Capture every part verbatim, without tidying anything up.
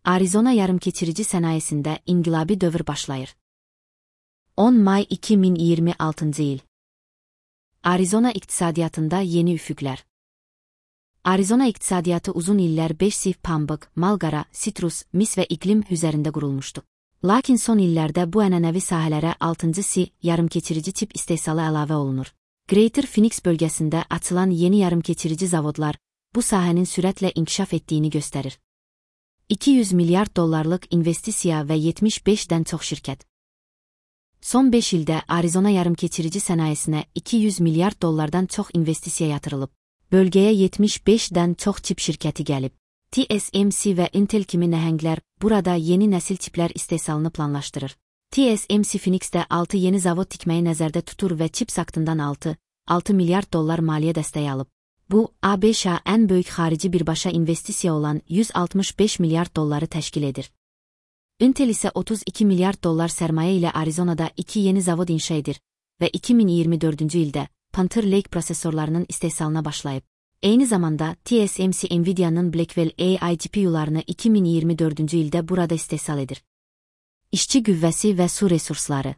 Arizona yarımkeçirici sənayesində inqilabi dövr başlayır. on may iki min iyirmi altıncı il. Arizona iqtisadiyyatında yeni üfüqlər. Arizona iqtisadiyyatı uzun illər beş sif pambıq, malqara, sitrus, mis və iqlim üzərində qurulmuşdu. Lakin son illərdə bu ənənəvi sahələrə altıncı si yarımkeçirici tip istehsalı əlavə olunur. Greater Phoenix bölgəsində açılan yeni yarımkeçirici zavodlar bu sahənin sürətlə inkişaf etdiyini göstərir. iki yüz milyard dollarlıq investisiya və yetmiş beşdən çox şirkət. Son beş ildə Arizona yarımkeçirici sənayesinə iki yüz milyard dollardan çox investisiya yatırılıb. Bölgəyə yetmiş beşdən çox çip şirkəti gəlib. T S M C və Intel kimi nəhənglər burada yeni nəsil çiplər istehsalını planlaşdırır. T S M C Phoenixdə altı yeni zavod tikməyi nəzərdə tutur və çip saktından altı milyard dollar maliyyə dəstəyi alıb. Bu, A B Ş-a ən böyük xarici birbaşa investisiya olan yüz altmış beş milyard dolları təşkil edir. Intel isə otuz iki milyard dollar sərmayə ilə Arizonada iki yeni zavod inşa edir və iki min iyirmi dördüncü ildə Panther Lake prosesorlarının istehsalına başlayıb. Eyni zamanda T S M C Nvidia'nın Blackwell A I G P U'larını iki min iyirmi dördüncü ildə burada istehsal edir. İşçi qüvvəsi və su resursları.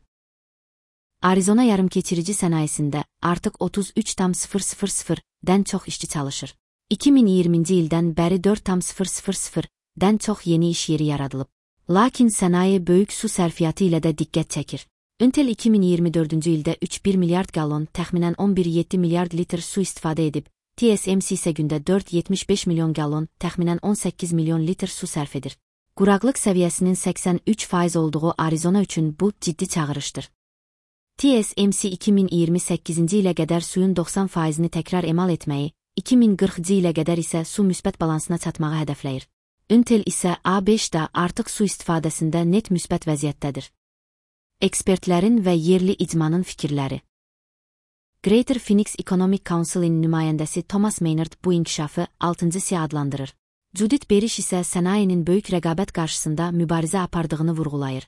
Arizona yarımkeçirici sənayesində artıq otuz üç min dən çox işçi çalışır. iki min iyirminci ildən bəri dörd min dən çox yeni iş yeri yaradılıb. Lakin sənaye böyük su sərfiyyatı ilə də diqqət çəkir. Intel iki min iyirmi dördüncü ildə üç bir milyard qallon, təxminən on bir yeddi milyard litr su istifadə edib, T S M C isə gündə dörd yetmiş beş milyon qallon, təxminən on səkkiz milyon litr su sərf edir. Quraqlıq səviyyəsinin səksən üç faiz olduğu Arizona üçün bu ciddi çağırışdır. T S M C iki min iyirmi səkkizinci ilə qədər suyun doxsan faizini təkrar emal etməyi, iki min qırxıncı ilə qədər isə su müsbət balansına çatmağı hədəfləyir. Intel isə A B Ş-da artıq su istifadəsində net müsbət vəziyyətdədir. Ekspertlərin və yerli icmanın fikirləri. Greater Phoenix Economic Council-in nümayəndəsi Thomas Maynard bu inkişafı altıncı si adlandırır. Judith Berish isə sənayenin böyük rəqabət qarşısında mübarizə apardığını vurğulayır.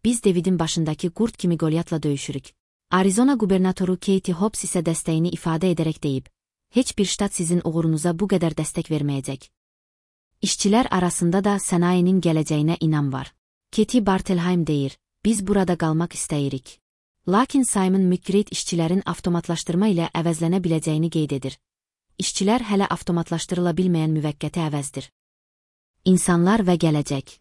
Biz Davidin başındakı qurd kimi Qolyatla döyüşürük. Arizona qubernatoru Katie Hobbs isə dəstəyini ifadə edərək deyib, heç bir ştat sizin uğurunuza bu qədər dəstək verməyəcək. İşçilər arasında da sənayenin gələcəyinə inam var. Katie Bartelheim deyir, biz burada qalmaq istəyirik. Lakin Simon McGrath işçilərin avtomatlaşdırma ilə əvəzlənə biləcəyini qeyd edir. İşçilər hələ avtomatlaşdırıla bilməyən müvəqqəti əvəzdir. İnsanlar və gələcək.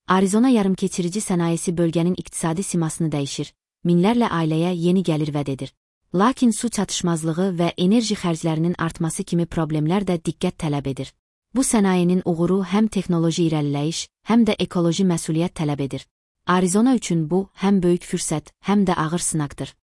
Arizona yarımkeçirici sənayesi bölgənin iqtisadi simasını dəyişir, minlərlə ailəyə yeni gəlir vəd edir. Lakin su çatışmazlığı və enerji xərclərinin artması kimi problemlər də diqqət tələb edir. Bu sənayenin uğuru həm texnoloji irəliləyiş, həm də ekoloji məsuliyyət tələb edir. Arizona üçün bu həm böyük fürsət, həm də ağır sınaqdır.